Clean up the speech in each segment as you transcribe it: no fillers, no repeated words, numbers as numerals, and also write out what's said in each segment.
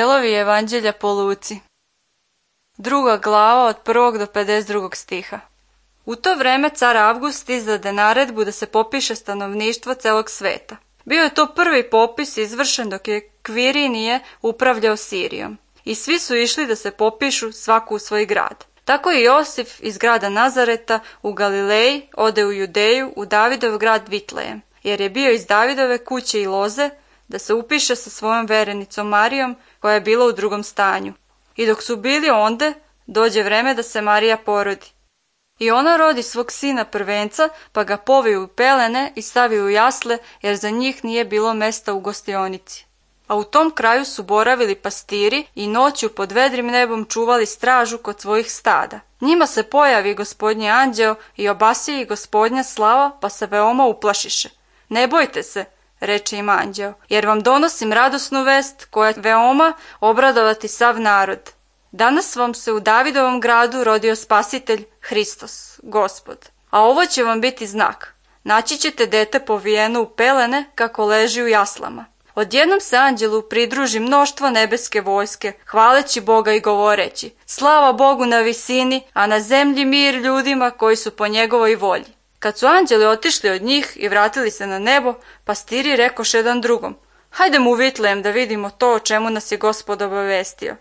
Dijelovi Evanđelja po Luci. 2. glava od 1. do 52. stiha. U to vreme car Avgust izdade naredbu da se popiše stanovništvo celog sveta. Bio je to prvi popis izvršen dok je Kvirinije upravljao Sirijom. I svi su išli da se popišu svaku u svoj grad. Tako i Josif iz grada Nazareta u Galileji ode u Judeju u Davidov grad Vitlejem, jer je bio iz Davidove kuće i loze, da se upiše sa svojom verenicom Marijom, koja je bila u drugom stanju. I dok su bili onde, dođe vreme da se Marija porodi. I ona rodi svog sina prvenca, pa ga povi u pelene i stavi u jasle, jer za njih nije bilo mesta u gostionici. A u tom kraju su boravili pastiri i noću pod vedrim nebom čuvali stražu kod svojih stada. Njima se pojavi Gospodnji anđeo i obasije ih Gospodnja slava, pa se veoma uplašiše. Ne bojte se, reče im anđeo, jer vam donosim radosnu vest koja će veoma obradovati sav narod. Danas vam se u Davidovom gradu rodio Spasitelj, Hristos, Gospod. A ovo će vam biti znak. Naći ćete dete povijeno u pelene kako leži u jaslama. Odjednom se anđelu pridruži mnoštvo nebeske vojske, hvaleći Boga i govoreći: slava Bogu na visini, a na zemlji mir ljudima koji su po njegovoj volji. Kad su anđeli otišli od njih i vratili se na nebo, pastiri rekoše jedan drugom: hajdemo u Vitlejem da vidimo to o čemu nas je Gospod obavestio.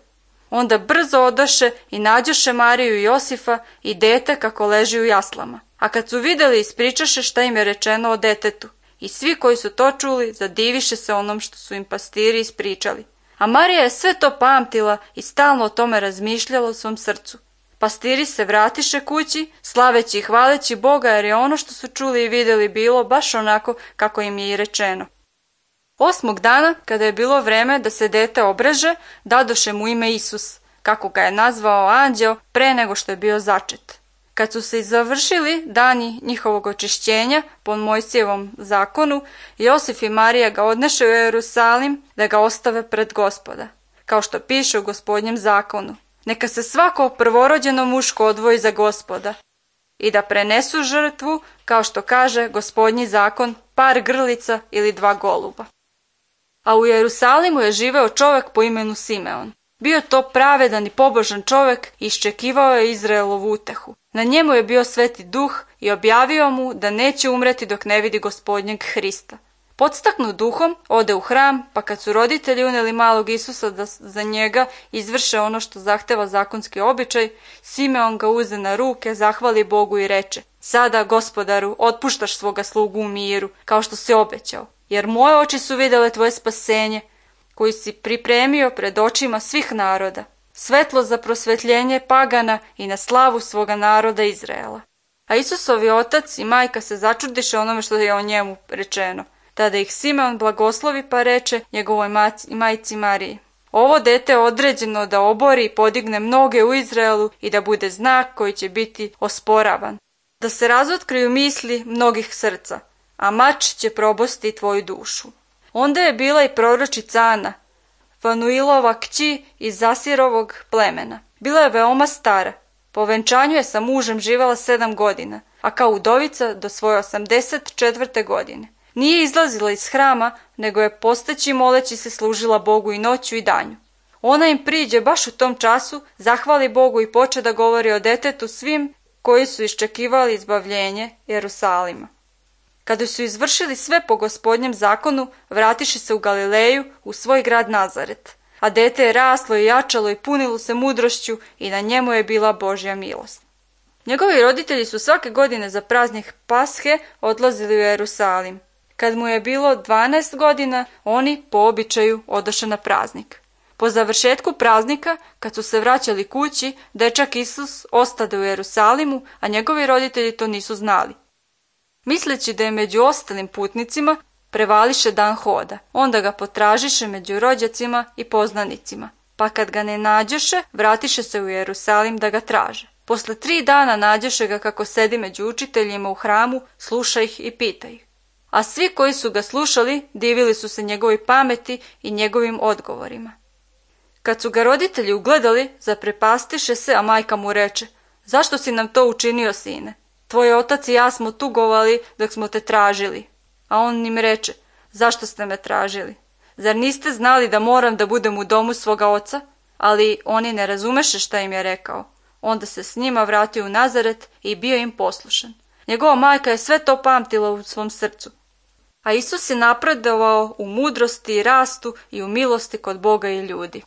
Onda brzo odoše i nađoše Mariju i Josifa i dete kako leži u jaslama. A kad su vidjeli, ispričaše šta im je rečeno o detetu. I svi koji su to čuli zadiviše se onom što su im pastiri ispričali. A Marija je sve to pamtila i stalno o tome razmišljala u svom srcu. Pastiri se vratiše kući, slaveći i hvaleći Boga, jer je ono što su čuli i vidjeli bilo baš onako kako im je i rečeno. 8. dana, kada je bilo vreme da se dete obreže, dadoše mu ime Isus, kako ga je nazvao anđeo pre nego što je bio začet. Kad su se završili dani njihovog očišćenja po Mojsijevom zakonu, Josif i Marija ga odneše u Jerusalim da ga ostave pred Gospoda, kao što piše u Gospodnjem zakonu. Neka se svako prvorođeno muško odvoji za Gospoda i da prenesu žrtvu, kao što kaže Gospodnji zakon, par grlica ili 2 goluba. A u Jerusalimu je živeo čovjek po imenu Simeon. Bio to pravedan i pobožan čovjek i iščekivao je Izraelovu utehu. Na njemu je bio Sveti Duh i objavio mu da neće umreti dok ne vidi Gospodnjeg Hrista. Podstaknut duhom, ode u hram, pa kad su roditelji uneli malog Isusa da za njega izvrše ono što zahteva zakonski običaj, Simeon ga uze na ruke, zahvali Bogu i reče: sada, Gospodaru, otpuštaš svoga slugu u miru, kao što si obećao, jer moje oči su vidjele tvoje spasenje, koji si pripremio pred očima svih naroda, svetlo za prosvetljenje pagana i na slavu svoga naroda Izraela. A Isusovi otac i majka se začudiše onome što je o njemu rečeno. Tada ih Simeon blagoslovi pa reče njegovoj majci Mariji: ovo dete je određeno da obori i podigne mnoge u Izraelu i da bude znak koji će biti osporavan, da se razotkriju misli mnogih srca, a mač će probosti tvoju dušu. Onda je bila i proročica Ana, Fanuilova kći iz Zasirovog plemena. Bila je veoma stara. Po venčanju je sa mužem živjela 7 godina, a kao udovica do svoje 84. godine. Nije izlazila iz hrama, nego je posteći moleći se služila Bogu i noću i danju. Ona im priđe baš u tom času, zahvali Bogu i poče da govori o detetu svim koji su iščekivali izbavljenje Jerusalima. Kada su izvršili sve po Gospodnjem zakonu, vratiše se u Galileju, u svoj grad Nazaret. A dete je raslo i jačalo i punilo se mudrošću i na njemu je bila Božja milost. Njegovi roditelji su svake godine za praznik Pashe odlazili u Jerusalim. Kad mu je bilo 12 godina, oni po običaju odoše na praznik. Po završetku praznika, kad su se vraćali kući, dečak Isus ostade u Jerusalimu, a njegovi roditelji to nisu znali. Misleći da je među ostalim putnicima, prevališe dan hoda. Onda ga potražiše među rođacima i poznanicima. Pa kad ga ne nađoše, vratiše se u Jerusalim da ga traže. Posle 3 dana nađoše ga kako sedi među učiteljima u hramu, sluša ih i pita ih. A svi koji su ga slušali divili su se njegovoj pameti i njegovim odgovorima. Kad su ga roditelji ugledali, zaprepastiše se, a majka mu reče: zašto si nam to učinio, sine? Tvoj otac i ja smo tugovali dok smo te tražili. A on im reče: zašto ste me tražili? Zar niste znali da moram da budem u domu svoga oca? Ali oni ne razumeše šta im je rekao. Onda se s njima vratio u Nazaret i bio im poslušan. Njegova majka je sve to pamtila u svom srcu. A Isus je napredovao u mudrosti, rastu i u milosti kod Boga i ljudi.